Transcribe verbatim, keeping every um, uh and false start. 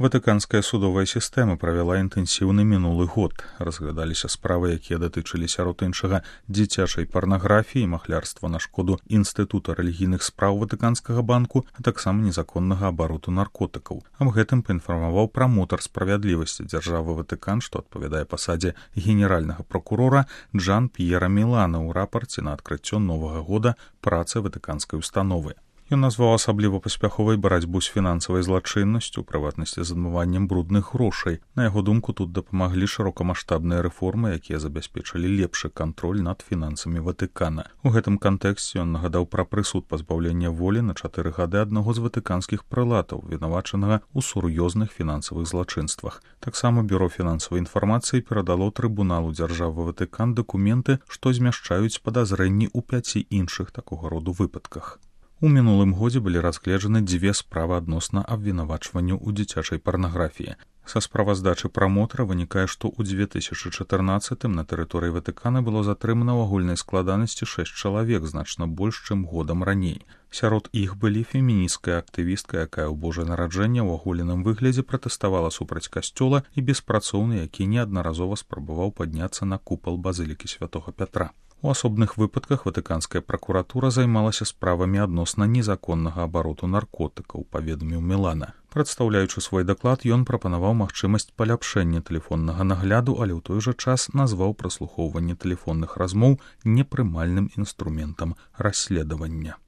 Ватыканская судовая сістэма правяла інтэнсіўны мінулы год. Разглядаліся справы, якія датычылі сярод іншага дзіцячай парнаграфіі, махлярства на шкоду Інстытута рэлігійных спраў Ватыканскага банку, а таксама незаконнага абароту наркотыкаў. Аб гэтым паінфармаваў прамотар справядлівасці дзяржавы Ватыкан, што адпавядае пасадзе генеральнага прокурора Джан П'ера Мілана ў рапарце на адкрыццё новага года працы ватыканскай установы. Ён назваў асабліва паспяховай барацьбу з фінансавай злачыннасцю, у прыватнасці з адмываннем брудных грошай. На яго думку, тут дапамаглі шырокамаштабныя рэформы, якія забяспечылі лепшы кантроль над фінансамі Ватыкана. У гэтым кантэксце ён нагадаў пра прысуд пазбаўлення волі на чатыры гады аднаго з ватыканскіх прылатаў, вінавачанага ў сур'ёзных фінансавых злачынствах. Таксама бюро фінансавай інфармацыі перадало трыбуналу дзяржавы Ватыкан дакументы, што змяшчаюць падазрэнні ў пяці іншых такога роду выпадках. У мінулым годзе былі разгледжаны дзве справы адносна абвінавачванню ў дзіцячай парнаграфіі. Са справаздачы прамотара вынікае, што ў дзве тысячы чатырнаццатым на тэрыторыі Ватыкана было затрымана ў агульнай складанасці шэсць чалавек, значна больш, чым годам раней. Сярод іх былі феміністкая актывістка, якая ў Божае нараджэнне ў аголеным выглядзе пратэставала супраць касцёла, і беспрацоўны, які неаднаразова спрабаваў падняцца на купал базылікі святога Пятра. У асобных выпадках ватыканская пракуратура займалася справамі адносна незаконнага абароту наркотыкаў, паведаміў Мілана. Прадстаўляючы свой даклад, ён прапанаваў магчымасць паляпшэння тэлефоннага нагляду, але ў той жа час назваў праслухоўванне тэлефонных размоў непрымальным інструментам расследавання.